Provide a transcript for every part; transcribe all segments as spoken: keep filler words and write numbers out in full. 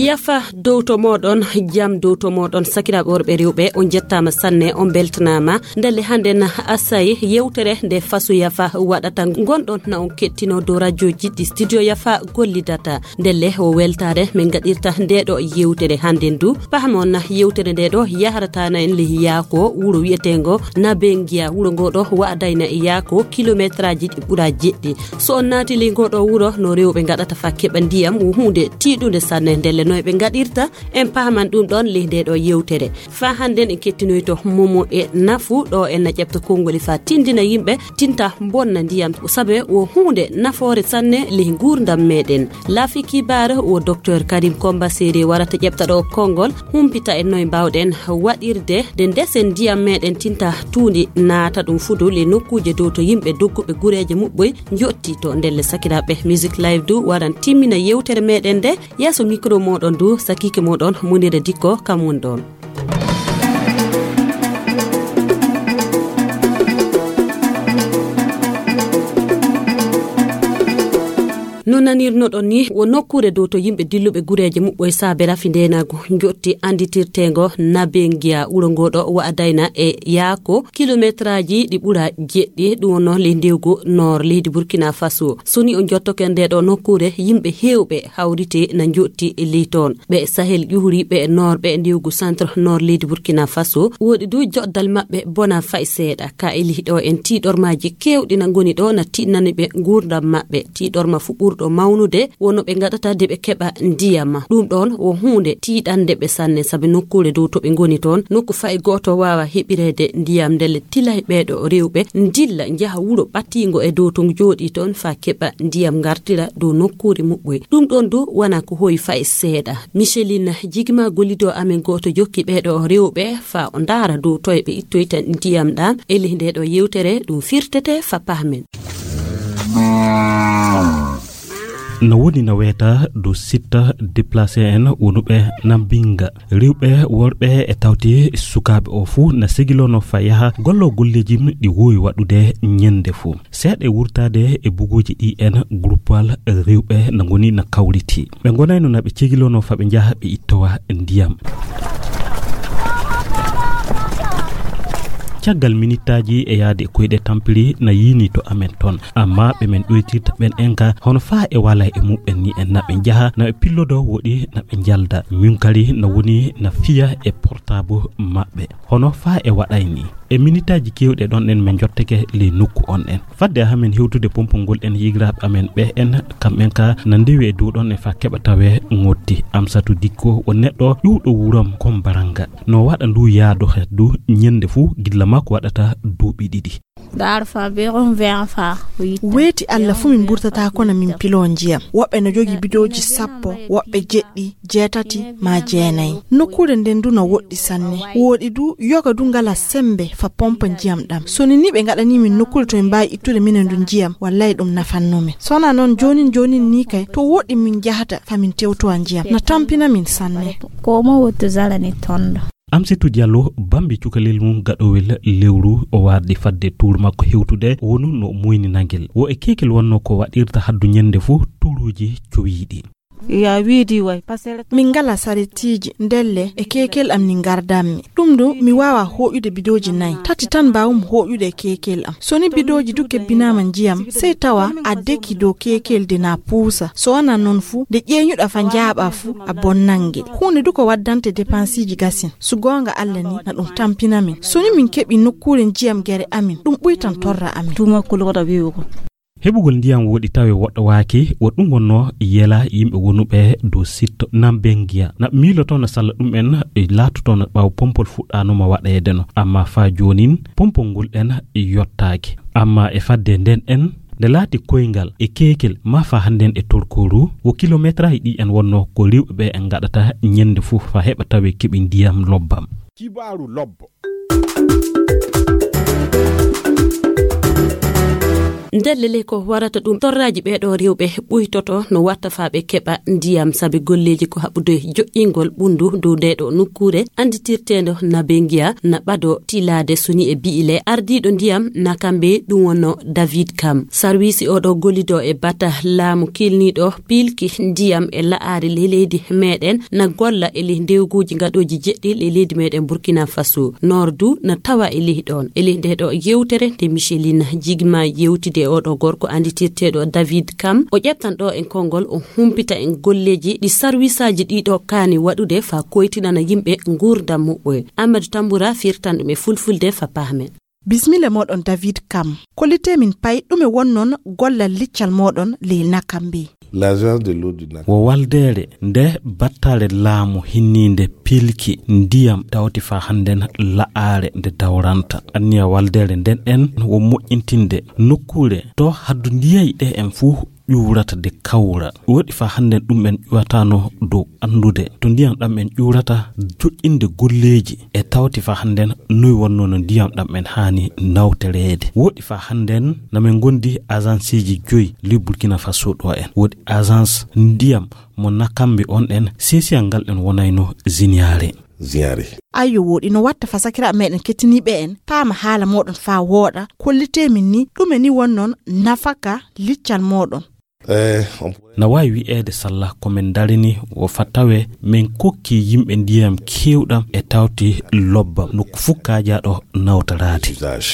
Yafa dow to mooɗon, jam dow to mooɗon, sakiraaɓe worɓe rewɓe, on njettaama sanne, on mbeltanaama. Ndelle hannden Asay yewtere nde Faso Yafa waɗata, ngonɗon na on kettino dow rajo jiɗɗi Studio Yafa gollidata. Ndelle o weltaare min ngaɗirta nde ɗo yewtere hannden du. Pahamon yewtere nde ɗo yaharata na en ley Yaako, wuro wi'eteengo Nabengiya. Wuro ngo ɗo wa'adayna e Yaako kilometraaji ɗi ɓura jeɗɗi. So on naati ley ngo ɗo wuro, no rewɓe ngaɗata fa keɓa ndiyam, wo huunde tiiɗunde sanne. Ndelle no ɓe ngaɗirta, en pahaman ɗum ɗon ley nde ɗo yewtere. Fa hannden en kettinoyto momo e nafu ɗo en na ƴeɓta konngoli fa tindina yimɓe, tinta bonna ndiyam, sabe wo huunde nafoore sanne ley nguurndam meɗen. Laafi kibaar wo Docteur Karim Komba Sere warata ƴeɓta ɗo konngol, humpita en noy mbaawɗen waɗirde de ndesen ndiyam meɗen tinta tuundi naata ɗum fudu ley nokkuuje dow to yimɓe dogguɓe gureeje muɓɓoy njotti to. Ndelle sakiraaɓe, Music Live du waran timmina yewtere meɗen nde. Yeeso micro mooɗon du, sakiike mooɗon Munira Dikko, kam woni ɗon. No nanirnoɗon ni, wo nokkuure dow to yimɓe dilluɓe gureeje muɓɓoy saabe rafi ndeenaagu njotti annditirteengo Nabengiya. Wuro ngo ɗo wa'adayna e Yaako kilometraaji ɗi ɓura jeɗɗi, ɗum wonno ley ndewgu noor leydi Burkina Faso. So ni o njottoke nde ɗo nokkuure, yimɓe heewɓe hawriti na njotti ley toon. Ɓe Sahel ƴuhuri ɓe noor ɓe ndewgu centre noor leydi Burkina Faso. Woɗi du joɗdal maɓɓe bona fay seeɗa. Ka e ley ɗo en tiiɗormaaji keewɗi na ngoni ɗo na tiiɗnani ɓe nguurndam maɓɓe. Tiiɗorma fu ɓurɗo mawnude wono ɓe ngaɗata de ɓe keɓa ndiyam. Ɗum ɗoon wo huunde tiiɗande ɓe sanne, sabi nokkuure dow to ɓe ngoni toon, nokku fay gooto waawa heɓireede ndiyam. Ndelle tilay ɓeeɗo rewɓe ndilla njaha wuro ɓattiingo e dow to jooɗii toon faa keɓa ndiyam ngartira dow nokkuure muɓɓoy. Ɗum ɗoon du wona ko hoyi fay seeɗa. Micheline Jigma, gollido amen gooto, jokki ɓeeɗo rewɓe faa o ndaara dow toye ɓe ittoyta ndiyam ɗam. E ley nde ɗo yewtere ɗum firtete fa pahmen. Na woni na weeta dow sitta déplacé en wonuɓe Nambinga. Rewɓe, worɓe e tawti sukaaɓe o fuu na segilono fa yaha gollo golleeji ɗi woowi waɗude ñande fuu. Seeɗa e wurtaade e buguuji ɗi en, gruppal rewɓe na ngoni na kawriti. Ɓe ngonayno na ɓe cegilono fa ɓe njaha ɓe ittowa ndiyam. Caggal minittaaji e yaade e koyɗe tampiri na yiini to amen toon. Amma ɓe men ɗoytirta ɓen en ka, hono faa e wala e muɓɓen ni en na ɓe njaha, na ɓe pillodo woɗi na ɓe njalda. Min kadi na woni na fiya e portable maɓɓe. Hono faa e waɗay ni. E minitaaji keewɗi ɗon en men njottake ley nokku on en. Fadde hamen hewtude pompol ngol en yigiraaɓe amen ɓe en, kam en ka na ndewi e dow ɗon e faa keɓa tawe ngotti. Amsatu Dikko o neɗɗo ƴuwɗo wuram kon baranga. No waɗa ndu yaado he du ñande fuu gilla makko waɗata duuɓi ɗiɗi. Daar van weer een van. Weeti Alla fuu min mburtataa kono min piloo njiyam. Woɓɓe no jogii bidooji sappo, woɓɓe jeɗɗi, jeetati, maa jeenayi. Nokkuure nden du no woɗɗi sanne. Wooɗi du, yoga du ngala sembe fa pompa njiyam ɗam. So ni ni ɓe ngaɗanii min nokkuure to min mbaawi ittude minen du njiyam, wallay ɗum nafanno min. So wonaa non joonin joonin ni kay, to woɗɗi min njahata fa min tewtowa njiyam. Na tampina min sanne. Ko mo wottu zalani tondo. Amsitu Diallo bambi cukalel mum gaɗowel lewru o wardi fadde tuur makko hewtude wonu no muyni nangel. Wo e keekel wonno ko waɗirta haddu ñande fuu tuuruuji cowiiɗi. Ya wiidi way, pasere. Min ngala saretiji ndelle e keekel am ni ngardanmi. Ɗum ɗo mi waawa hooƴude bidooji nayi. Tati tan mbaawmi hooƴude e keekel am. So ni bidooji du kebbinaama njiyam, sey tawa a deki dow keekel de na puusa. So wonaa non fu, nde ƴeeñuɗa fa njaaɓa fu, a bonnan ngel. Huunde du ko waddante depensiji gasin. So goonga Alla ni, na ɗum tampina min. So ni min keɓi nokkuure njiyam gere amin, ɗum ɓuytan torra amin. Tuma kulgota wi'ugo. Heɓugol ndiyam woɗi tawe woɗɗowaaki, wo ɗum wonno yela yimɓe wonuɓe dow sitto Nambengiya. Na miiloto no salla ɗum en e laatoto no ɓaawo pompol fuɗɗaanoma waɗeede no. Amma faa joonin, pompol ngol en yottaaki. Amma e fadde nden en, nde laati koyngal e keekel maa faa hannden e torkooru, wo kilometraaji ɗi en wonno ko rewɓe ɓe en ngaɗata ñande fuu faa heɓa tawe keɓi ndiyam lobbam. Kibaaru lobbo. Ndelle le ko warata ɗum, torraaji ɓee ɗoo rewɓe ɓuytoto no watta faa ɓe keɓa ndiyam, sabi golleeji ko haɓɓude joƴƴingol ɓunndu dow ndee ɗoo nokkuure annditirteendo Nabengia na ɓado tilaade, soni e bi'ile ardiiɗo ndiyam Nakambe, ɗum wonno David Kam. Sarwiisi oo ɗoo gollidoo e bata laamu kilniiɗo piilki ndiyam e la'aare ley leydi meeɗen na golla e ley ndewguuji ngaɗooji jeɗɗi ley leydi meeɗen Burkina Faso. Noor du na tawa e ley ɗoon. E ley ndee ɗoo yewtere nde Micheline Jigma yewtidi e oo ɗoo gorko annditirteeɗo David Kam, o ƴeftan ɗoo en konngol, o humpita en golleeji ɗi sarwisaaji ɗii ɗoo kaani waɗude faa koytinana yimɓe nguurndam muɓɓoye. Amadou Tamboura firtan ɗum e fulfulde faa pahmen. Bismilla mooɗon, David Kam. Kollitee min pay ɗume wonnon gollal liccal mooɗon ley Nakambe. L'agence de l'eau du Nakambe. Wo waldeere nde battale laamu hinniinde pilki ndiyam tawti faa hannden la'aare nde dawranta. Anniya waldeere nden en wo moƴƴintinde nokkuure to haddu ndiyay ɗe en fuu ƴuurata de kawra. Woɗi faa hannden ɗum en ƴuwatano dow anndude to ndiyam ɗam en ƴuurata, joƴƴinde golleeji e tawti faa hannden noy wonno no ndiyam ɗam en haani nawtereede. Woɗi faa hannden na men ngondi agenceeji joyi ley Burkina Faso ɗo en. Woɗi agence ndiyam mo Nakambe on en, sesiyal ngal en wonayno ziniyaare. Ziniyaare. Ayyo, woɗi no watta faa sakiraaɓe meeɗen kettiniiɓe en paama haala mooɗon faa wooɗa, kollitee min ni ɗume ni wonnon nafaka liccal mooɗon. Eh, on Na waawi wi'eede salla ko men ndarini wo faa tawe men kokki yimɓe ndiyam keewɗam e tawti lobbam nokku fuu kaajaaɗo nawtoraade. Usage.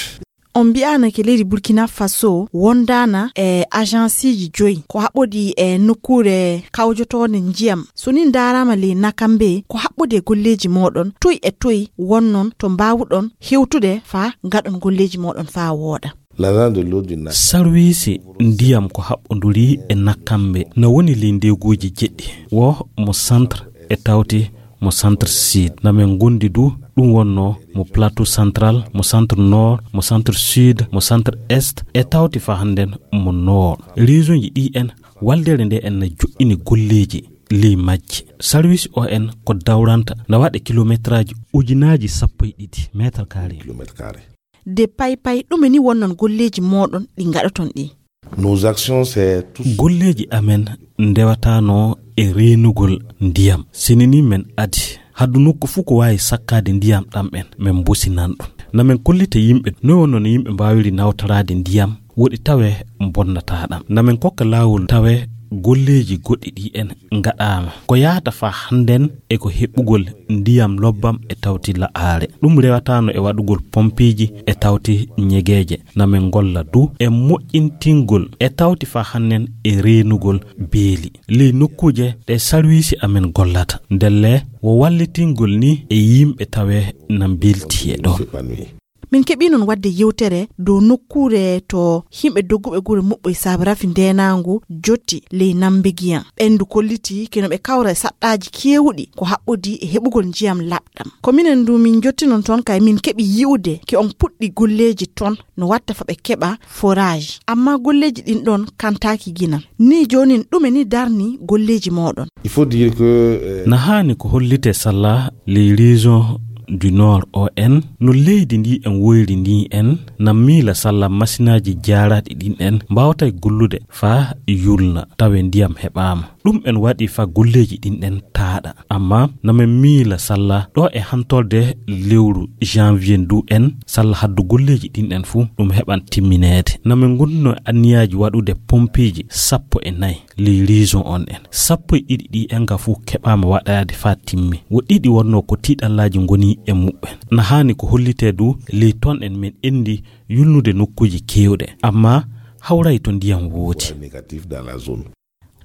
On mbi'aanake leydi Burkina Faso wondaana e agenceeji joyi ko haɓɓodii e nokkuure kawjotoonde ndiyam. So nii ndaaraama ley Nakambe, ko haɓɓodii e golleeji mooɗon, toy e toy wonnon to mbaawuɗon hewtude faa ngaɗon golleeji mooɗon faa wooɗa? L'agence de l'eau du Nakambe. Sarwiisi ndiyam ko haɓɓondurii e Nakambe na woni ley ndeeguuji jeɗɗi, wo mo centre e tawti mo centre sud. Na men ngondi du ɗum wonno mo plateau central, mo centre nord, mo centre sud, mo centre est e tawti faa hannden mo nord. Région ji ɗi en, waldeere nde en na joƴƴini golleeji ley majji. Sarwiisi o en ko dawranta na waɗa kilometraaji ujunaaji sappo e ɗiɗi mètre carré. Kilomètre carré. De pay pay ɗume ni wonnon golleeji mooɗon ɗi ngaɗoton ɗi? Nos actions, c'est tout. Golleeji amen ndewataano e reenugol ndiyam. Sini ni men adi haddu nokku fuu ko waawi sakkaade ndiyam ɗam en, men mbosinan ɗum. Na men kollita yimɓe noy wonno no yimɓe mbaawiri nawtoraade ndiyam woɗi tawe bonnataa ɗam. Na men kokka laawol tawe golleeji goɗɗi ɗi en ngaɗaama. Ko yahata faa hannden e ko heɓugol ndiyam lobbam e tawti la'aare. Ɗum rewataano e waɗugol pompiiji e tawti ñegeeje. Na men ngolla du e moƴƴintingol e tawti faa hannden e reenugol beeli. Ley nokkuuje ɗe sarwiisi amen gollata. Ndelle wo wallitingol ni e yimɓe tawe na mbilti e ɗoon. Min keɓii noon waɗde yewtere dow nokkuure to yimɓe dogguɓe gure muɓɓoy saabe rafi ndeenaangu jotti ley Nambegiyan. Ɓeen du kollitii ke no ɓe kawra e saɗɗaaji keewuɗi ko haɓɓodii e heɓugol njiyam laɓɗam. Ko minen du min njotti noon toon, kay min keɓi yi'ude ke on puɗɗi golleeji toon no watta faa ɓe keɓa forage. Amma golleeji ɗin ɗoon kantaaki gina. Ni joonin ɗume ni darni golleeji mooɗon? Il faut dire que, euh, Na haani ko hollitee salla ley région du Nord O N, no leydi ndi en woyri ndi en, na miila salla masinaaji jaaraaɗi ɗin en mbaawtay gollude faa yulna, tawe ndiyam heɓaama. Ɗum en waɗi faa golleeji ɗin en taaɗa. Amma na men miila salla ɗo e hantorde lewru janvier ndu en, salla haddu golleeji ɗin en fuu ɗum heɓan timmineede. Na men ngonduno e anniyaaji waɗude pompiiji sappo e nayi. Ley région on en, sappo e ɗiɗi ɗi en ga fuu keɓaama waɗaade faa timmi. Wo ɗiɗi wonnoo ko tiiɗallaaji ngoni e muɓɓen. Na haani ko hollitee du ley ton en men enndi yulnude nokkuuji keewɗe, amma hawray to ndiyam woodi. Négatif dans la zone.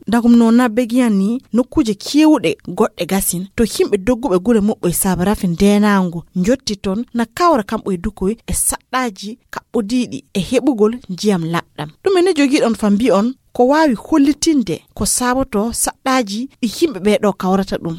Dagum no Nambegiyan ni, nokkuuje keewɗe goɗɗe gasin to yimɓe dogguɓe gure muɓɓoy saabe rafi ndeenaangu njotti ton, na kawra kamɓe e dukoy e saɗɗaaji kaɓɓodiiɗi e heɓugol njiyam laɓɗam. Ɗum ene jogiiɗon faa mbi'on ko waawi hollitinde ko saabotoo saɗɗaaji ɗi yimɓe ɓee ɗoo kawrata ɗum.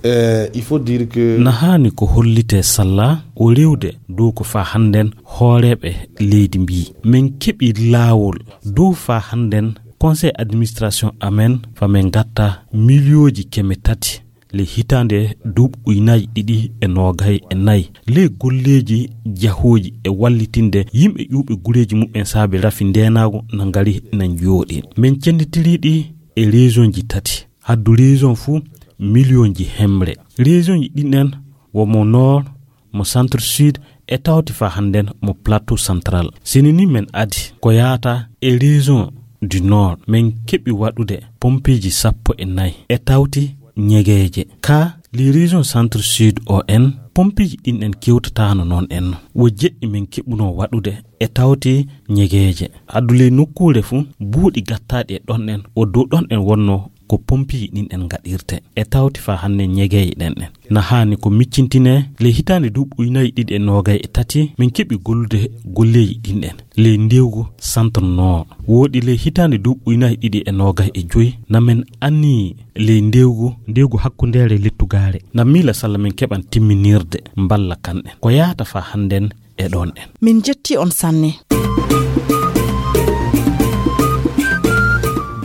Eh, il faut dire que Na haani ko hollitee salla o rewde dow ko faa hannden hooreeɓe leydi mbii. Men keɓi laawol dow faa hannden conseil administration amen faa men ngatta miliyooji keme tati ley hitaande duuɓi ujunaaji ɗiɗi e noogay e nayi, ley golleeji jahooji e wallitinde yimɓe ƴuwɓe gureeji muɓɓen saabe rafi ndeenaagu na ngari na njooɗi. Men cenditirii ɗi e région ji tati. Haddu région fuu, million ji hemre. Région ji ɗin en wo mo Nord, mo Centre Sud, e tawti faa hannden mo Plateau Central. Sini ni men adi ko yaata e région du Nord, men keɓi waɗude pompeeji sappo e nayi e tawti ñegeeje. Ka li région Centre Sud o en, pompeeji ɗin en kewtataano noon en. Wo jeɗɗi men keɓunoo waɗude e tawti ñegeeje. Addu ley nokkuure fuu, buuɗi gattaaɗi e ɗon en, o dow ɗon en wonnoo ko pompeeji ɗin en ngaɗirte. E tawti faa hannden ñegeeje ɗen en. Na haani ko miccintinee, ley hitaande duuɓi ujunaaji ɗiɗi e noogay e tati, min keɓi gollude golleeji ɗin en. Ley ndewgu Centre Nord. Wooɗi ley hitaande duuɓi ujunaaji ɗiɗi e noogay e joy, na men anniyii ley ndewgu, ndewgu hakkundeere lettugaare. Na miila salla men keɓan timminirde mballa kan en. Ko yaata faa hannden e ɗon en. Min njetti on sanne.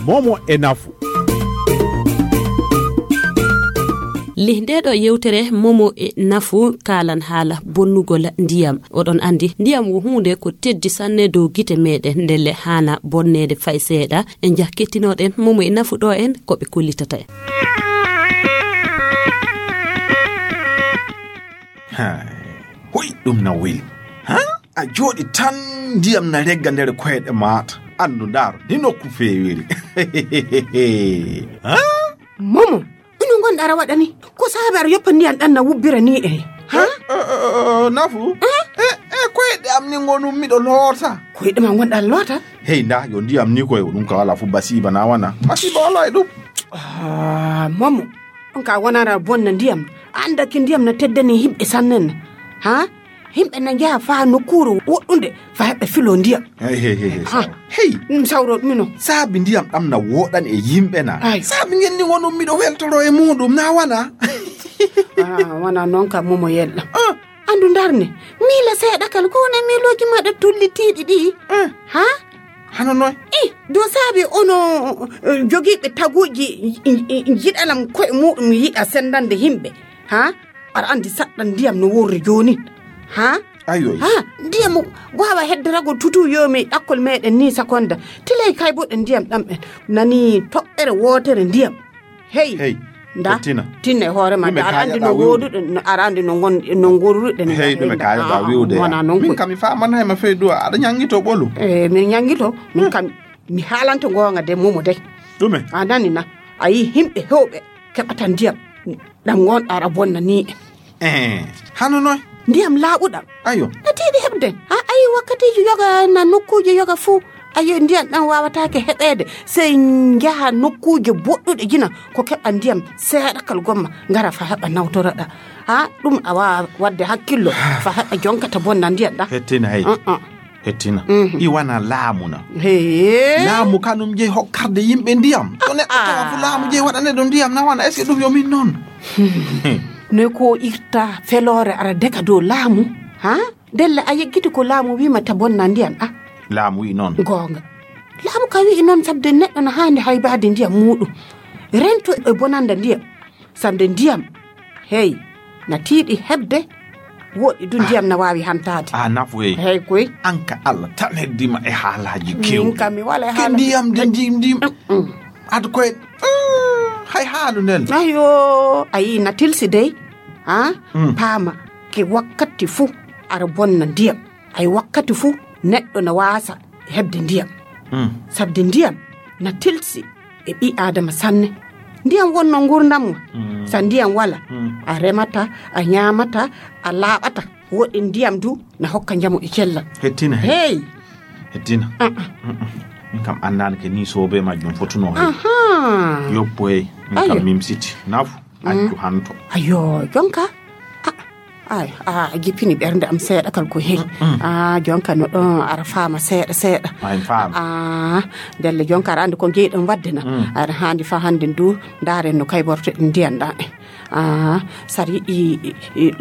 Momo e nafu. Lih nde ɗo yewtere Momo e nafu kaalan haala bonnugol ndiyam. Oɗon anndi, ndiyam wo huunde ko teddi sanne dow gite meɗen, ndelle haana bonneede fay seeɗa. En njah kettinoɗen Momo e nafu ɗo en ko ɓe kollitata en. Hay, hoy ɗum na weli. Ha? A jooɗi tan, ndiyam na regga nder koyɗe maata. Anndu, ndaar, ndi nokku feewiri. Ha? Momo, ino ngonɗa ara waɗani? Ko saabe ara yoppa ndiyam ɗan na wubbira ni e? Ha? Eh, eh, eh, eh, nafu? Eh? Eh, eh, koyɗe am ni ngonum miɗo loota. Koyɗe ma ngonɗa loota? Hey, nda, yo ndiyam ni koy, ɗum ka wala fu basiba na wana. Basiba wala e ɗum. Ah, Momo, ɗum ka wonara bonna ndiyam. Anda ki ndiyam na teddani himɓe sannen. Ha? Himɓe na njaha faa nokkuure woɗɗunde faa heɓɓe filo ndiyam. Hey, hey, hey, hey, ha, sawa. Hey. Ɗum sawro ɗum ino. Saabi ndiyam ɗam na woɗani e yimɓe na. Ay. Saabi ngenni wonum miɗo weltoro e muɗum na wana. Ah, wana noon ka Momo yella. Ah. Andu ndarne, miila seeɗa kal ko wona miilooji maɗa tullitiiɗi ɗi. Ah. Ha? Hano noy? Eh, do saabi ono, eh, jogiiɓe taguuji, i, i, i, jiɗalam koye muɗum yiɗa sendande himɓe. Ha? Aɗa anndi saɗɗan ndiyam no worri joonin. Ha? Ayo. Ha? Ndiyam waawa heddorago tutu yoomi ɗakkol meɗen ni sakonda. Tilay kayboɗen ndiyam ɗam en. Nani toɓɓere wootere ndiyam. Hey. Hey. Nda. Tina. Tinna e hoore ma. Ɗume aɗa anndi no kaajaɗa wi'ude? Wooduɗen, no, aɗa anndi no ngon-, no ngoruɗen. Hey, ɗume kaajaɗa wi'ude? Wona non. Min ko kam mi faamanaay ma fey du'a. Aɗa ñanngito ɓolu. Eh, min ñanngito. Min kam mi haalanto goonga de Momo dey. Ɗume? A nani na? A yi himɓe hewɓe keɓata ndiyam. Ɗam ngonɗa ara bonna ni en. Eh, hano noy? Ndiyam laaɓuɗam. Ayo. Na tiiɗi heɓde. A ayi wakkatiiji yoga na nokkuuje yoga fuu. Ayo, ndiyam ɗam waawataake heɓeede. Sey njaha nokkuuje boɗɗuɗe jina ko keɓa ndiyam seeɗakal gomma ngara fa heɓa nawtoraɗa. Ha, ɗum a waawa waɗde hakkillo fa heɓa jonkata bonna ndiyam ɗam. Hettina hey. Uh-uh. Hettina. Mhm. I wana laamu na. Hee. Laamu kanum jeyi hokkarde yimɓe ndiyam. To neɗɗo tawa fu laamu jeyi waɗane ɗo ndiyam na wana. Est-ce que ɗum yo min noon? Ne ko irta feloore ara deka dow laamu. Ha? Ndelle a yeggiti ko laamu wiima ta bonna ndiyam ɗam. Laamu wi'i noon. Goonga. Laamu ka wi'i noon sabde neɗɗo na haandi haybaade ndiyam muuɗum. Rento e bonanda ndiyam. Sande ndiyam, hey, na tiiɗi heɓde, woɗɗi du ndiyam na waawi hantaade. A nafu, hey. Hey, koy. An ka Allah tan heddima e haalaaji kewɗi. Min kam mi wala e ke haala ndiyam de ndi-, ndi-, mm, ad koye, mm, hay haalu nden. Ayo, ayi na tilsi dey. Ha? Mm. Paama ke wakkati fuu ara bonna ndiyam. Ay wakkati fuu neɗɗo na waasa heɓde ndiyam. Mm. Sabde ndiyam na tilsi e ɓii Aadama sanne. Ndiyam wonno nguurndam ma. Mm. Sa ndiyam wala, mm, a remata, a ñaamata, a laaɓata. Woɗɗi ndiyam du na hokka njamu e cellal. Hettina, hey. Hey. Hettina. Ah, ah. Mm-mm. Min kam anndaani ke ni soobe majjum fotunoo, hey. Aha. Yoppo, hey. Min kam mimsiti. Nafu. Accu hanto. Ayo, jonka. Ah, ay, ah, a jippini ɓernde am seeɗa kal ko heyi. Mm, mm. Ah, jonka no ɗon ara faama seeɗa, seeɗa. Ay, faama. Ah, ndelle jonka aɗa anndi ko njeyɗon waɗde na. Mm. Aɗa haandi fa hannde ndu, ndaaren no kaybortoɗen ndiyan ɗan. Ah, sar yiɗi, i, i,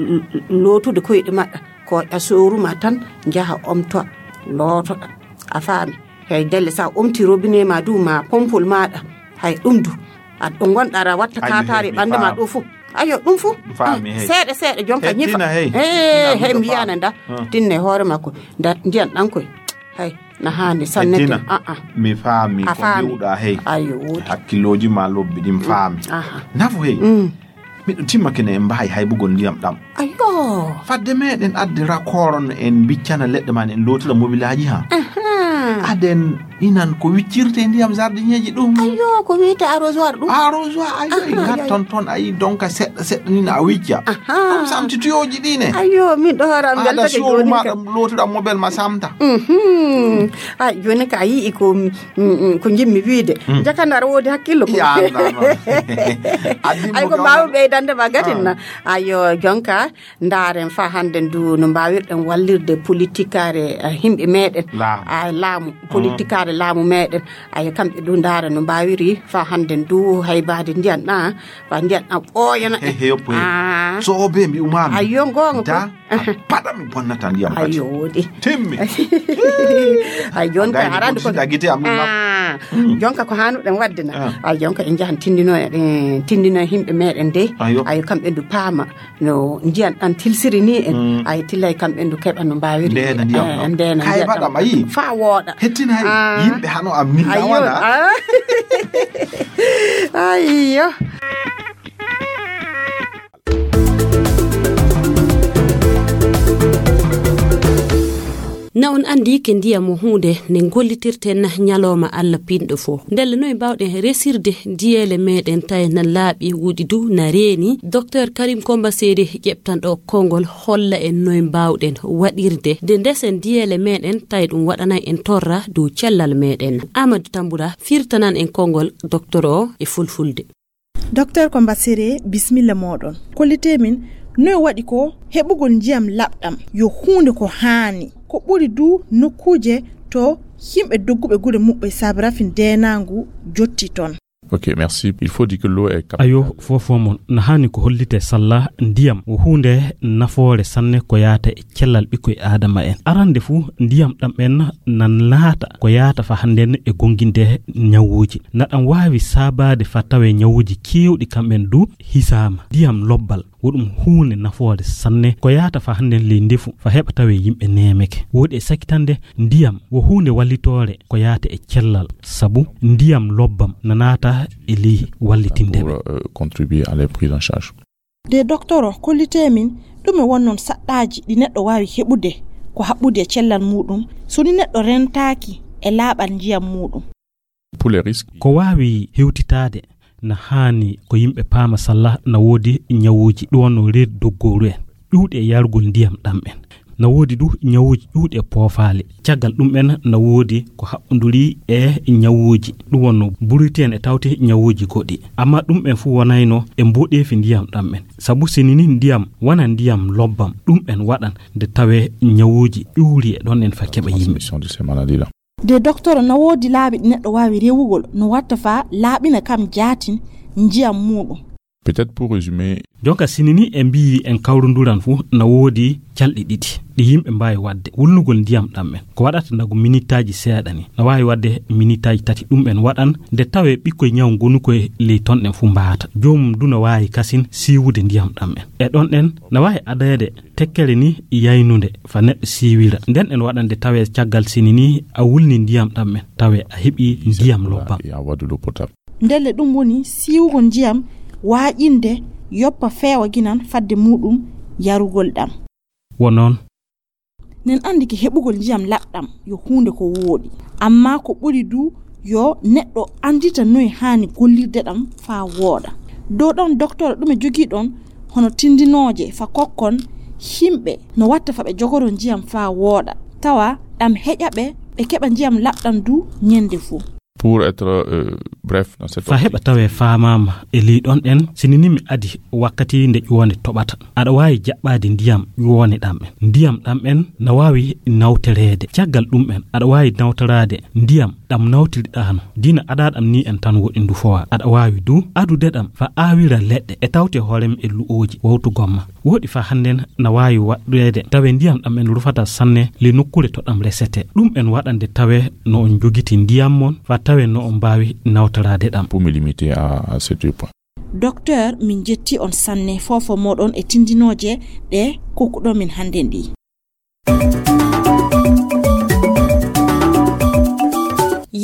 lootude koyɗe maɗɗa. Ko a sooruma tan, njaha omtoa, lootoɗa. A faami? Hey, ndelle sa omti robinet ma du, ma pompol maɗa. Hay ɗum du. Aɗa ɗo ngonɗa aɗa watta kaataari ɓanndu ma ɗo fof. Ayo, ɗum fu. Faami, hey. Seeɗa, seeɗa, jonka ñifa. Heddina, hey. Hey, heddina, hey, mi faami. Yiyana nda. Hmm. Tinne hoore makko. Nda, ndiyan ɗan koy. Hay, na haani sanne. Heddina. Ah, ah. Mi faami ko mbi'uɗaa, hey. Ayo, woodi. Hakkillooji ma lobbi ɗin faami. Aha. Nafu, hey. Mm. Miɗo timmake ne en mbaawi haybugol ndiyam ɗam. Ayo. Fadde meɗen adde rakooro no en mbiccana leɗɗe ma, en lootira mobilaaji ha. Aha. Aden inan ko wiccirte ndiyam jardineeji ɗum. Ayo, ko wiyete arrosoir ɗum. Arrosoir, ayo, ah, en ngatton ton, ayi, donc seɗɗa, seɗɗa ni na a wicca. Aha. Ɗum samti tuyooji ɗi ne. Ayo, min ɗo hoore am aɗa weltake suuru jooni ma ka. Ɗam lootuɗam mobel ma samta. Mhm. Ah, jooni ka a yi'i ko, mm, mm, ko njimmi wiide. Mm. Jakandar woodi hakkillo ko. Ya, Allah, non. Addi mo ay, ko jonka. Mbaawi ɓeydande ma gatin na. Ah. Ayo, jonka, ndaaren fa hannde ndu no mbaawirɗen wallirde politikaare, eh, yimɓe meɗen. Laamu. Ah, laamu. Mm. Politikaare laamu meɗen. Ayo, kamɓe du ndaara no mbaawiri fa hannde ndu haybaade ndiyan ɗan, fa ndiyan ɗan ɓooyana. He, he, yoppo he. Ah. So o be mbi umaami. Ayo, ngoonga da, ko. A paɗa mi bonnata ndiyam kadi. Ayo, woodi. Timmi. Ay, jonka, a gayni arande ko ko. Gite am ɗum na. Ah. Mm. Jonka ko hanuɗen wadde na. Ah. Ay, jonka en njahan tindino, eh, tindino yimɓe meɗen de. Ayo. Ayo, kamɓe ndu paama no ndiyan ɗan tilsiri ni en. Mm. Ay, tillay kamɓe ndu keɓa no mbaawiri. Ndeena ndiyam eh, ɗam. Ndeena kay ndiyam mbaɗam ɗam. Ayi. Fa wooɗa. Hettina hay. Ah. Yimɓe hano am ni. Ayo. Nawana. Ah. Ayo. Na on anndi ke ndiyam o huunde nde gollitirten ñalooma Alla pinɗo fof. Ndelle noy mbaawɗen resirde diyeele meɗen tawi na laaɓi, woɗi du na reeni? Docteur Karim Komba Seri ƴeɓtanɗo konngol holla en noy mbaawɗen waɗirde nde ndesen diyeele meɗen tawi ɗum waɗanay en torra dow cellal meɗen. Amadou Tamboura firtanan en konngol docteur o e fulfulde. Docteur Komba Sere, bismilla mooɗon. Kollitee min, noy waɗi ko heɓugol ndiyam laɓɗam yo huunde ko haani, ko ɓuri du nokkuuje to yimɓe dogguɓe gure muɓɓe saabe rafin deenaangu jotti ton? Ok, merci. Il faut dire que l'eau est capitale. Ayo, fofo mon, na haani ko hollitee salla ndiyam o huunde nafoore sanne ko yaata e cellal ɓikkoy Aadama en. Arande fuu, ndiyam ɗam en na naata ko yaata fa hannden e gonnginde ñawuuji. Na ɗam waawi saabaade fa tawee ñawuuji keewɗi kam en du hisaama. Ndiyam lobbal, wo ɗum huunde nafoore sanne ko yaata fa hannden ley ndefu fa heɓa tawee yimɓe neemeke. Woodi e sakitande ndiyam wo huunde wallitoore ko yaata e cellal, sabu ndiyam lobbam na naata e ley wallitinde ɓe. Pour, euh, contribuer à leur prise en charge. De doktoro, kollitee min, ɗume wonnon saɗɗaaji ɗi neɗɗo waawi heɓude ko haɓɓude e cellal muuɗum, so ni neɗɗo rentaaki e laaɓal ndiyam muuɗum? Pour les risques. Ko waawi hewtitaade, na haani ko yimɓe paama salla na woodi ñawuuji ɗum wonno reedu doggooru en, ƴuwɗi e yargol ndiyam ɗam en. Na woodi du ñawuuji ƴuwɗi e poofaali. Caggal ɗum en na woodi ko haɓɓonduri e ñawuuji. Ɗum wonno buriti en e tawti ñawuuji goɗɗi. Amma ɗum en fuu wonayno e mboɗeefi ndiyam ɗam en. Sabu sini ni ndiyam wona ndiyam lobbam, ɗum en waɗan nde tawee ñawuuji ƴuuri e ɗon en fa keɓa yimɓe. Transmission de ces maladies-là. De doktoro, na woodi laabi ɗi neɗɗo waawi rewugol no watta fa laaɓina kam jaatin njiyam muuɗum? Peut-être pour résumer. Jonka sini ni en mbiyi en kawrunduran fuu na woodi calɗi ɗiɗi ɗi yimɓe mbaawi waɗde. Wulnugol ndiyam ɗam en ko waɗata ndagu minitaaji seeɗa ni. Na waawi waɗde minitaaji tati ɗum en waɗan nde tawee ɓikkoy ñaw ngonu koye ley ton ɗen fuu mbaata. Joomum du na waawi kasin siiwude ndiyam ɗam en. E ɗon ɗen na waawi adaede tekkere ni yaynunde fa neɗɗo siiwira. Nden en waɗande tawee caggal sini ni a wulni ndiyam ɗam en, tawee a heɓi ndiyam lobbam. Et avoir de l'eau potable. Ndelle ɗum woni siiwugol ndiyam, waaƴinde yoppa feewa ginan fadde muuɗum yarugol ɗam. Wo noon. Nen anndi ke heɓugol ndiyam laɓɗam yo huunde ko wooɗi. Amma ko ɓuri du yo neɗɗo anndita noy haani gollirde ɗam faa wooɗa. Dow ɗon, doktor, ɗume jogii ɗon hono tindinooje fa kokkon yimɓe no watta fa ɓe jogoro ndiyam faa wooɗa, tawa ɗam heƴa ɓe, ɓe keɓa ndiyam laɓɗam du ñennde fuu? Pour être, euh, bref dans cette optique. Fa heɓa tawee faamaama e ley ɗon ɗen, sini ni mi adi wakkati nde ƴuwonde toɓata. Aɗa waawi jaɓɓaade ndiyam ƴuwone ɗam en. Ndiyam ɗam en na waawi nawtoreede. Caggal ɗum en, aɗa waawi nawtoraade ndiyam ɗam nawtiriɗaano. Dina adaa ɗam ni en tan woɗi ndu fowa. Aɗa waawi du adude ɗam fa aawira leɗɗe e tawte hoorem e lu'ooji wawtugol ma. Woɗi fa hannden na waawi waɗɗeede tawe ndiyam ɗam en rufata sanne le nokkuure to ɗam resete. Ɗum en waɗande tawe no on njogiti ndiyam mon fa tawe no on mbaawi nawtoraade ɗam. Pour me limiter à, à ces deux points. Docteur, min jetti on sanne fofo moɗon e tindinooje ɗe kokkuɗon min hannden ɗi.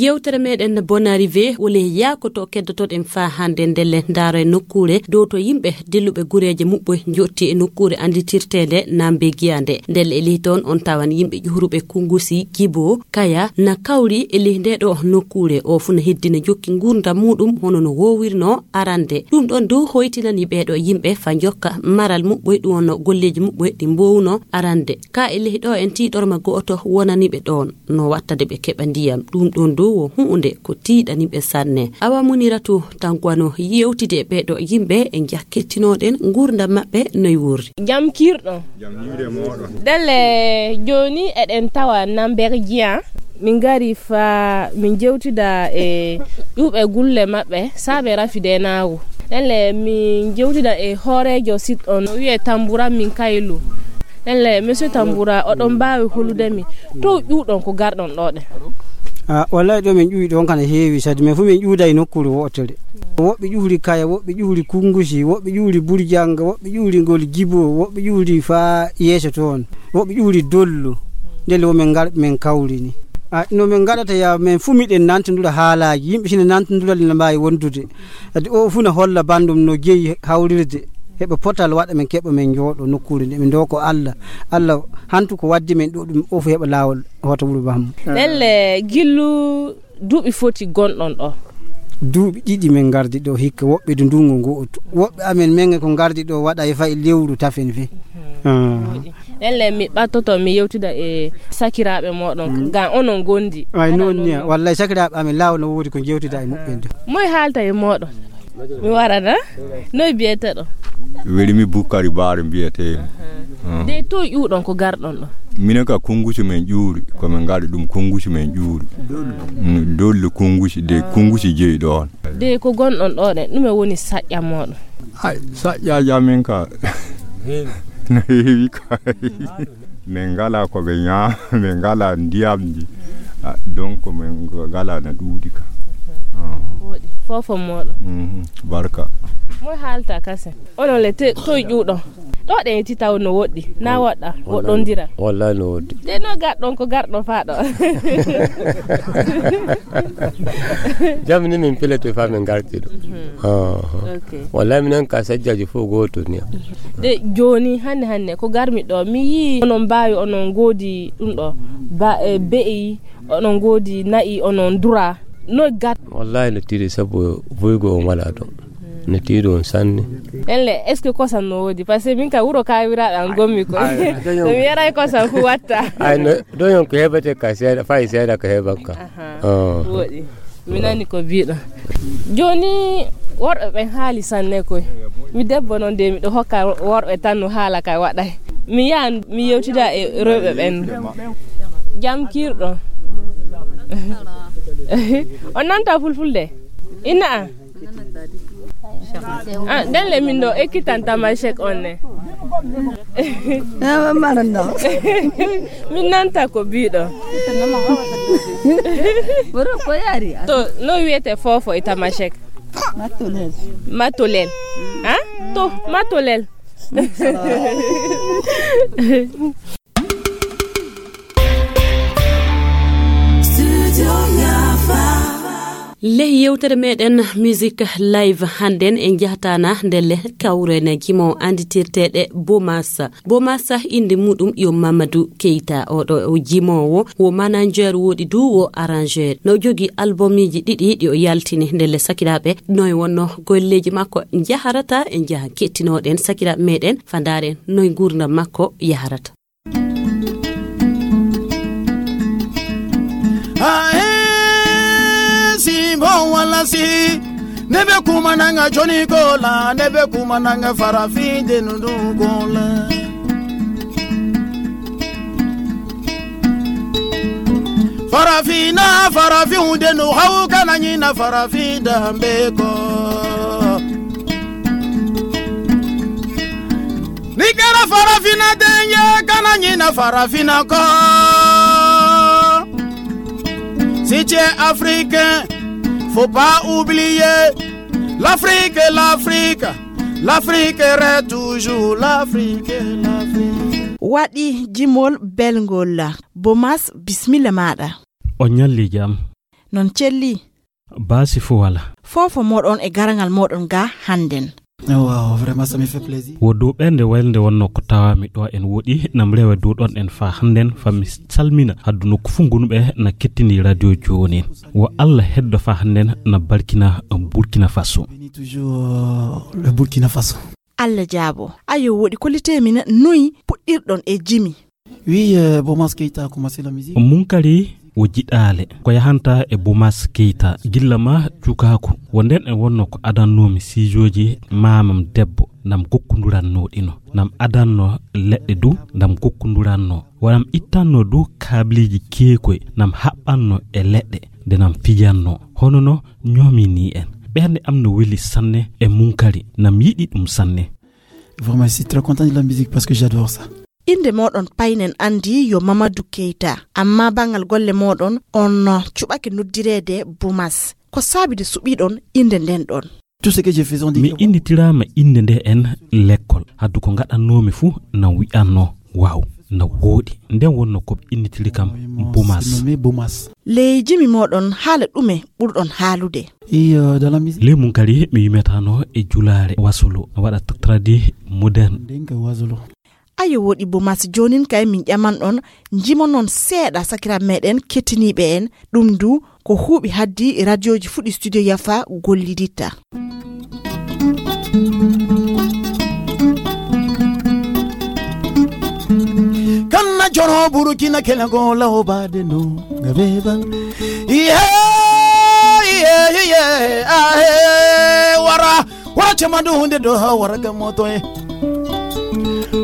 Yewtere meɗen Bonne Arrivée, wole yaakoto keddotoɗen faa hannde ndelle ndaaro e nokkuure dow to yimɓe dilluɓe gureeje muɓɓoy njotti e nokkuure annditirteende Nambe Giya nde. Ndelle e ley toon on tawan yimɓe ƴuhuruɓe Kunngusi, Gibo, Kaya na kawri e ley nde ɗo nokkuure. O fuu na heddina jokki nguurndam muuɗum hono no woowirnoo arande. Ɗum ɗoon du hoytinani ɓee ɗo yimɓe faa njokka maral muɓɓoy, ɗum wonno golleeji muɓɓoy ɗi mboowunoo arande. Ka e ley ɗo en tiiɗorma go'oto wonani ɓe ɗoon no wattade ɓe keɓa ndiyam. Ɗum ɗoon du wo huunde ko tiiɗani ɓe sanne. Awa Muniratu Tangwano yewtidi e ɓee ɗo yimɓe e njakkittinooɗen nguurndam maɓɓe noy wuurri. Jam kiirɗo. Jam hiire mooɗon. Ndelle jooni eɗen tawa Namber Giya. Min ngari faa min jewtida e ƴuuɓe gulle maɓɓe saabe rafidenaagu. Ndelle min jewtida e hooreejo sit on no wiyee Tambura min Kaylu. Ndelle Monsieur Tambura, oɗon mbaawi holude mi to ƴuuɗon ko garɗon ɗo ɗen? Ah, wallahi ɗo min ƴuwi ɗon kana heewi, sadi min fuu min ƴuuda e nokkuure wootere. Woɓɓe ƴuhri Kaya, woɓɓe ƴuhri Kunngusi, woɓɓe ƴuhri Burjanga, woɓɓe ƴuhri ngol Gibo, woɓɓe ƴuhri faa yeeso toon, woɓɓe ƴuhri Dollo. Ndelle wo min ngar-, min kawri ni. Ah, no min ngaɗata ya, min fuu miɗen nantondira haalaaji. Yimɓe sina nantondira, ina mbaawi wondude. Adi o fuu na holla banndum no jeyi hawrirde. Heɓa potal waɗa min keɓa min njooɗo nokkuure nde min ndoko Allah. Allah hantu ko waddi min ɗo ɗum o fuu heɓa laawol hoto wuro bammo. Ndelle gillu duuɓi foti gonɗon ɗo? Duuɓi ɗiɗi min ngardi ɗo hikka, woɓɓe du ndungu ngu otu. Woɓɓe amen men ko ngardi ɗo waɗa e fayi lewru tafen fe. Ah. Ndelle mi ɓattoto mi yewtida e sakiraaɓe mooɗon, mm, ngam onon ngondi. Ay, noon ni, wallay sakiraaɓe amen laawo no woodi ko jewtida e muɓɓen de. Moy haalta e mooɗon? Mi warana? Noy biyeteɗo? Weli mi Bukkari Baare mbiyetee mi. Aha. Ah. De to ƴuuɗon ko garɗon ɗo? Minen ka Kunngusi men ƴuuri, ko min ngaɗi ɗum Kunngusi men ƴuuri. Mm, Dolli Kunngusi, de Kunngusi jeyi ɗoon. De ko gonɗon ɗo ɗen, ɗume woni saƴƴa mooɗon? Ay, saƴƴaaji amen ka. No heewi ka. Min ngalaa ko ɓe ñaama, min ngalaa ndiyamji. Ah, donc min ngalaa na ɗuuɗi ka. Ah. Wooɗi. Fofo mooɗon. Mhm, barka. Moy haalta kasen? Onon le te, toy ƴuuɗon? Ɗo ɗen e titaw no woɗɗi, na woɗɗa, woɗɗondira. Wallahi no woɗɗi. De no garɗon ko garɗon faa ɗo. Jam ni min pilete faa min garti ɗo. Mhm. Ah. Ok. Wallahi minen ka sajjaaji fof gooto ni. De jooni hannde hannde ko garmi ɗo, mi yii onon mbaawi, onon ngoodi ɗum ɗo, ba, e be'i, onon ngoodi na'i, onon dura. No gat? Wallahi no tiiɗi sabu buygo on walaa ɗo. No tiiɗi on sanne. Ndelle, est-ce que kosam no woodi? Parce que min ka wuro Kawiraaɓe an gommi koy. Ay, ay, dañon. So mi yaray kosam fu watta. Ay, no, dañon ko heɓete ka seeɗa, fay seeɗa ko heɓan ka. Aha. Ah. Wooɗi. Mi nani ko biiɗo. Jooni worɓe ɓen haali sanne koy. Mi debbo non de miɗo hokka worɓe tan no haala kay waɗay. Mi yahan mi yewtida e rewɓe ɓen. Jam kiirɗo. On nanta fulfulde? Inna an? Ah, ndelle min ɗo ekkitan Tamashek on ne. Min nanta ko biiɗo. Woro ko yari. To, no wiyete fofo e Tamashek? Matolel. Matolel. Ha? To, Matolel. Ley yewtere meɗen Music Live hannden en njahtaana ndelle kawren jimoowo annditirteeɗe Bomas. Bomas innde muɗum yo Mamadou Keita. Oɗo o jimoowo wo manager woɗi du wo arrangeur. No jogi albumiji ɗiɗi ɗi o yaltini ndelle sakiraaɓe. Noy wonno golleeji makko njaharata en njaha kettinooɗen sakiraaɓe meɗen faa ndaaren noy nguurndam makko yaharata. Ae, si bon wala si, nebe kuma nanga Johnny Gola, nebe kuma nanga Farafin de nudu Gola. Farafina, Farafin de nu hau kana nyina Farafin da mbeko. Ni kɛra Farafina den ye, kana ɲinɛ Farafina kɔ. Si tu es africain, faut pas oublier L'Afrique, l'Afrique, l'Afrique reste toujours l'Afrique, l'Afrique. Waɗi jimol belngol. Bomas, bismilla maɗa. O ñalli jam. Non celli. Baasi fo wala. Fofo moɗon e garangal moɗon ga hannden. Wow, vraiment, ça me fait plaisir. Wo dow ɓernde waylde wonno ko tawami ɗo en woɗi, nam rewe dow ɗon en fa hannden, fa mi salmina haddu nokku fu gonuɓe na kettini radio jooni. Wo Allah heddo fa hannden na barkina Burkina Faso. Bénis toujours, euh, le Burkina Faso. Allah jaabo. Ayo, woɗi kollitemin noy puɗɗirɗon e jimi. Oui, euh, Bomas Keita a commencé la musique. Munkari wo jiɗaale ko yahanta e Bomas Keita. Gilla ma cukaaku, wo nden en wonno ko adannoomi siijooji maamam debbo, nam gokkunduranno ɗino, nam adanno leɗɗe du, nam gokkunduranno, wo nam ittanno du kaabliiji keekoy, nam haɓɓanno e leɗɗe, nde nam fijanno. Hono no ñoomini en. Ɓernde am no weli sanne e Munkari, nam yiɗi ɗum sanne. Vraiment, je suis très content de la musique parce que j'adore ça. Innde moɗon paynen anndi yo Mamadou Keita, amma banngal golle moɗon on cuɓake noddireede Bomas. Ko saabi de suɓiɗon innde nden ɗon? Tout ce que je faisais, on dit mi que innitiraama innde nde en lekkol. Haddu ko ngaɗannoomi fuu na wi'anno, "Waaw, na wooɗi." Nden wonno ko ɓe innitiri kam Bomas. Nommé Bomas. Ley jimi moɗon haala ɗume ɓurɗon haalude? Et, euh, dans la musique. Ley Munkari mi wimetano e julaare wasolo, waɗa tradi moderne. Ndenka wasolo. Ayo, woɗi Bomas, joonin kay min ƴaman ɗon, jimonon seeɗa sakiraaɓe meɗen kettiniiɓe en. Ɗum du ko huuɓi haddi radioji fuɗi studio Yafa golliditta. Kanna joro Burkina kele go lawbade no ngabe ban. Iye, iye, iye, ahe, wara. Wara cema du hunde do ha wara ga moto e.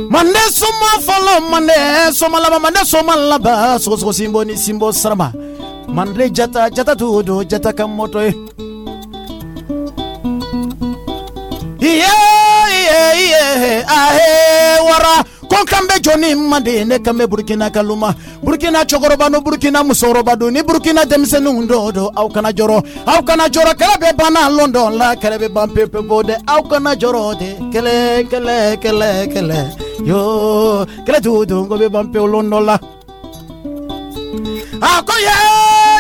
Mande soma folo, mande soma laba, mande soma laba. Sogo sogo simbo ni simbo sarama. Mande jata, jata du do, jata kam moto e. Iye, iye, iye, ahe, wara. Kon kambe joni mande ne kambe Burkina kaluma. Burkina cogoroba no Burkina musooroba du ni Burkina denmisɛnninw do do aw kana jɔrɔ aw kana jɔrɔ kɛlɛ bɛ bana london la kɛlɛ bɛ ban pepe bo de aw kana jɔrɔ de kɛlɛ kɛlɛ kɛlɛ kɛlɛ yo kɛlɛ tu du ngo bɛ ban pewu london la. A ko ye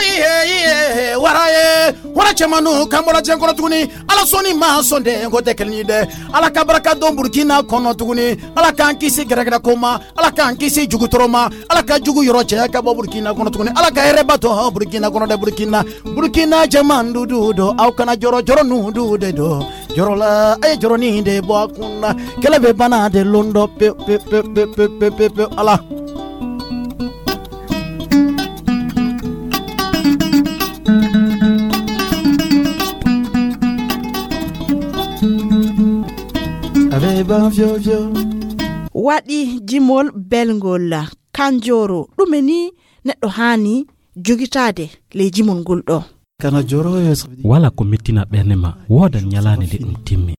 ye ye wara ye wara cɛmanu kan bɔra diɲɛ kɔnɔ tuguni. Ala sɔnni ma sɔn dɛ, n ko tɛ kelen ye dɛ. Ala ka barika don Burkina kɔnɔ tuguni. Ala k'an kisi gɛrɛgɛrɛ ko ma. Ala k'an kisi jugu tɔɔrɔ ma. Ala ka jugu yɔrɔ cɛ ka bɔ Burkina kɔnɔ tuguni. Ala ka hɛrɛba to Burkina kɔnɔ dɛ, Burkina. Burkina jama du du do. Aw kana jɔrɔ jɔrɔ nu du de do. Jɔrɔ la, a ye jɔrɔnin de bɔ a kun na. Kɛlɛ bɛ bana de lon dɔ pe pe pe pe pe pe pe pe Ala. Waɗi jimol belngol. Kanjooro, ɗume ni neɗɗo haani jogitaade ley jimol ngol ɗo? Kana joro e so wala ko mettina ɓerne ma, woodan ñalaande nde ɗum timmi.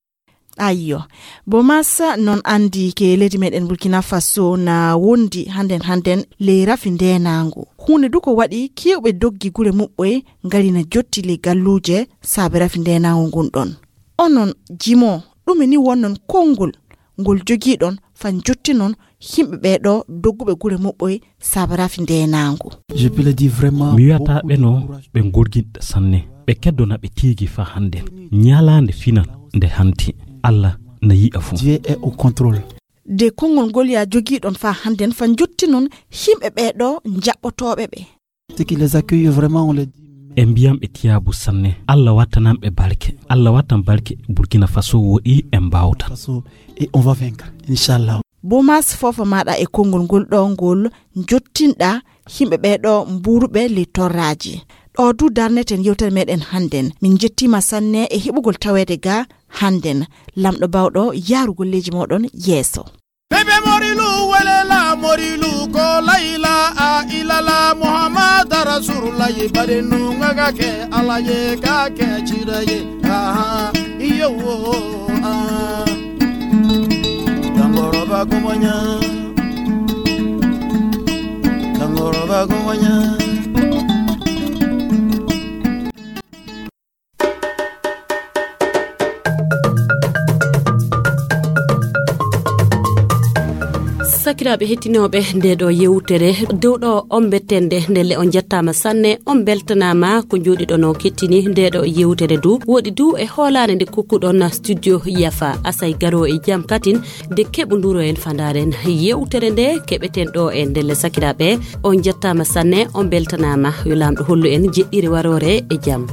Ayyo. Bomas non anndi ke leydi meɗen Burkina Faso na wondi hannden hannden ley rafi ndeenaangu. Huunde du ko waɗi keewɓe doggi gure muɓɓoy ngari na jotti ley galluuje saabe rafi ndeenaangu ngun ɗon. Onon jimo, ɗume ni wonnon konngol ngol jogiiɗon fa njottinon yimɓe ɓee ɗo dogguɓe gure muɓɓoy saabe rafi ndeenaangu? Je peux le dire vraiment, mi wiyata ɓe no ɓe ngorginɗa sanne. Ɓe keddona ɓe tiigi fa hannden. Ñalaande finan nde hanti. Allah na yi'a fuu. Dieu est au contrôle. De konngol ngol ya jogiiɗon fa hannden fa njottinon yimɓe ɓee ɗo njaɓɓotooɓe ɓe. Ce qui les accueille vraiment, on les dit. E mbiyam ɓe tiyaabu sanne. Allah wattanam ɓe barke. Allah wattan barke Burkina Faso woɗi e mbawta. Faso et on va vaincre, inchallah. Bomas, fofo maɗa e konngol ngol ɗo ngol njottinɗa yimɓe ɓee ɗo mbuuruɓe ley torraaji. Ɗo du darneten yewtere meɗen hannden. Min njettiima sanne e heɓugol taweede ga hannden. Lamɗo bawɗo yaarugol leydi moɗon yeeso. Bebe morilu welela morilu ko layla a ilala Muhammad Rasulullah bade nunga ga ke alaye ga ke chiraye. Aha, iyo, ah. Dangoro ba gumanya. Dangoro ba gumanya. Ɓe hettinooɓe nde ɗo yewtere dow ɗo on bettende ndelle on jettaama sanne, on beltanaama ko njooɗiɗon o kettini nde ɗo yewtere du. Woɗi du e hoolaare nde kokkuɗon studio yafa asay garo e jam katin nde keɓoduro en fandaren yewtere nde keɓeten ɗo e ndelle sakiraaɓe. On jettaama sanne, on beltanaama, yo laamɗo hollu en jeɗɗire waroore e jam.